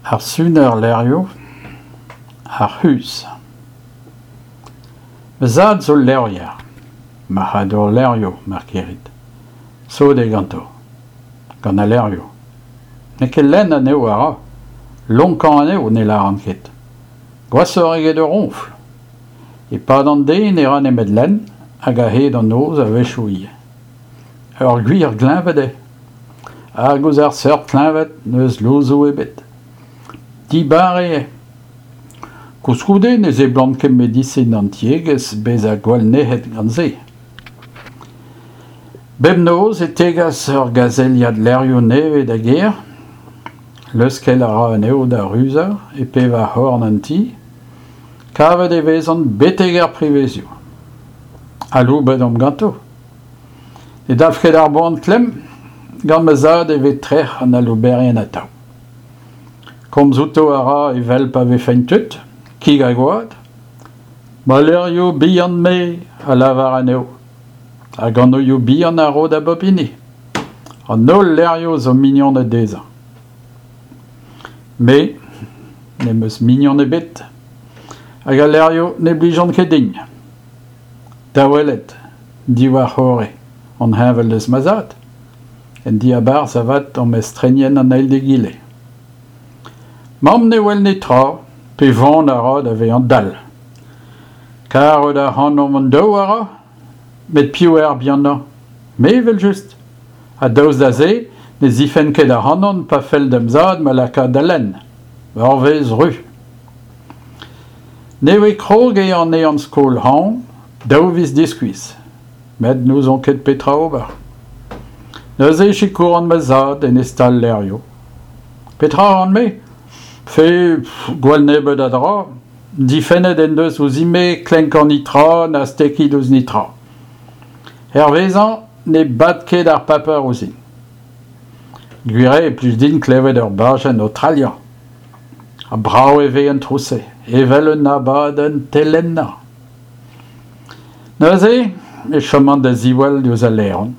Ar suner levrioù, ar c'huzh. Ma zad zo levrier, marc'hadour levrioù mar kirit. Sot eo ganto, gant al levrioù. N'eo ket lenn anezho a ra, lonkañ anezho ne lâran ket. Gwashoc'h eget ur roñfl. E-pad an deiz ne ra nemet lenn hag a-hed an noz a-wechoù ivez. Ur gwir gleñved eo. Hag ouzh ar seurt kleñved n'eus louzoù ebet. Dibar eo. Koulskoude ne seblant ket medisin an tiegezh bezañ gwall nec'het gant se. Bep noz e tegas ur gazeliad levrioù nevez da gêr. Leuskel a ra anezho da ruzañ e pevar c'horn an ti. Kavet e vezont betek er privezioù. Aloubet omp ganto. Ne dalv ket ar boan klemm, gant ma zad e vez trec'h an alouberien atav. Komz outo a ra evel pa vefent tud, kig ha gwad. Ma levrioù bihan-me a lavar anezho, hag anvioù bihan a ro da bep hini. An holl levrioù zo mignoned dezhañ. Me, n'em eus mignon ebet, hag al levrioù ne blijont ket din. Da welet, diwar-c'horre, on heñvel eus ma zad. En diabarzh avat omp estrenien an eil d'egile. Mamm ne wel netra, pe van a ra da vezañ dall. Karout ac'hanomp hon-daou a ra, met piv eo ar bihanañ? Me evel-just. Ha daoust da se ne zifenn ket ac'hanon pa fell da'm zad ma lakaat da lenn. Ur wezh ru. Nevez krog eo an ehan-skol hañv, daou viz diskuizh. Met n'ouzon ket petra ober. Neuze e sikouran ma zad en e stal-levrioù. Petra a ran-me ? Fe, gwall nebeut a dra. Difennet en deus ouzhin-me klenkañ netra na stekiñ ouzh netra. Hervezañ ne bad ket ar paper ouzhin. Gwir eo e plij din klevet ur bajenn o traliañ. Ha brav e vez an trouz-se, evel un abadenn telennañ. Neuze e choman da ziwall diouzh al laeron.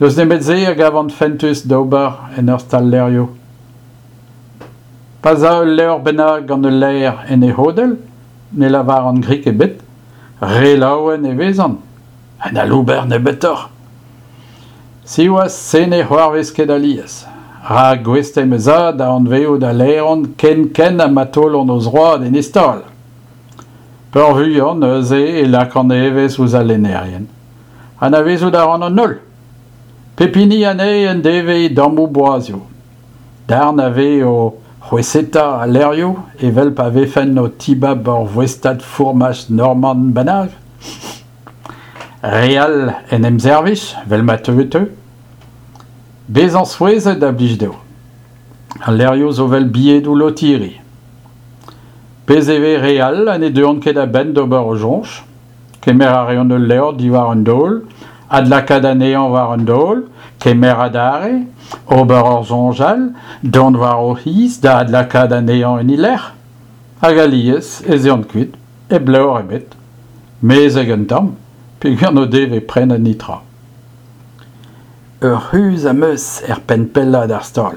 N'eus nemet se a gavan fentus d'ober en ur stal-levrioù. Pa 'z a ul levr bennak gant ul laer en e c'hodell, ne lavaran grik ebet, re laouen e vezan. Un alouber nebeutoc'h. Siwazh, se ne c'hoarvez ket alies. Rak gouest eo ma zad da anvezout al laeron ken-ken ha ma taolont o zroad en e stal. Peurvuiañ neuze e lakaan evezh ouzh al lennerien. Anavezout a ran an holl. Pep hini anezhe en devez e dammoù boazioù. Darn a vez o c'hweseta al levrioù evel pa vefent o tibab ur voestad fourmaj norman bennak. Re all en em servij, 'vel ma teu e teu. Bezañ souezhet a blij dezho. Al levrioù zo 'vel bilhedoù lotiri. Bez' e vez re all ha ne deuont ket a-benn d'ober o soñj. Kemer a reont ul levr diwar un daol, adlakaat anezhañ war un daol, kemer adarre, ober ur soñj all, dont war o c'hiz da adlakaat anezhañ en e lec'h. Hag alies ez eont kuit, hep levr ebet. Mezeg un tamm, peogwir n'o devez prenet netra. Ur c'huzh am eus er penn pellañ d'ar stal.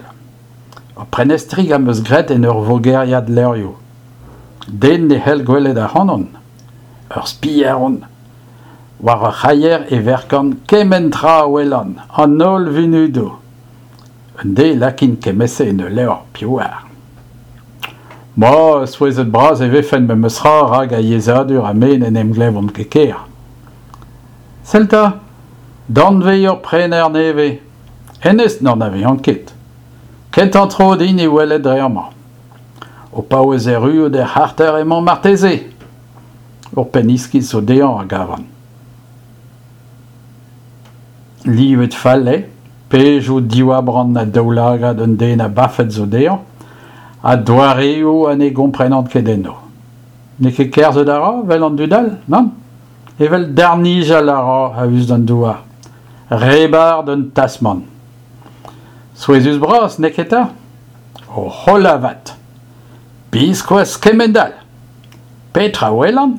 Ur prenestrig am eus graet en ur vogeriad levrioù. Den ne c'hell gwelet ac'hanon. Ur spier on. War ur c'haier e verkan kement tra a welan, an holl vunudoù. Un deiz e lakin kement-se en ul levr, piv 'oar. Ma, souezhet-bras e vefen memes tra rak ar yezhadur ha me n'en em glevomp ket ker. Sell 'ta, danvez ur prener nevez. Hennezh n'anavezan ket. Kentañ tro din e welet dre amañ. O paouez erruout er c'harter emañ marteze. Ur penn iskis zo dezhañ a gavan. Livet fall eo, pejoù diwar-brann ha daoulagad un den abafet zo dezhañ, ha doareoù ha ne gomprenan ket enno. N'eo ket kerzhet a ra 'vel an dud all, nann ? Evel darnijal a ra a-us d'an douar, re-bar d'un tasmant. Souezhus-bras, n'eo ket 'ta ? O c'holl avat ! Biskoazh kemend-all ! Petra 'welan ?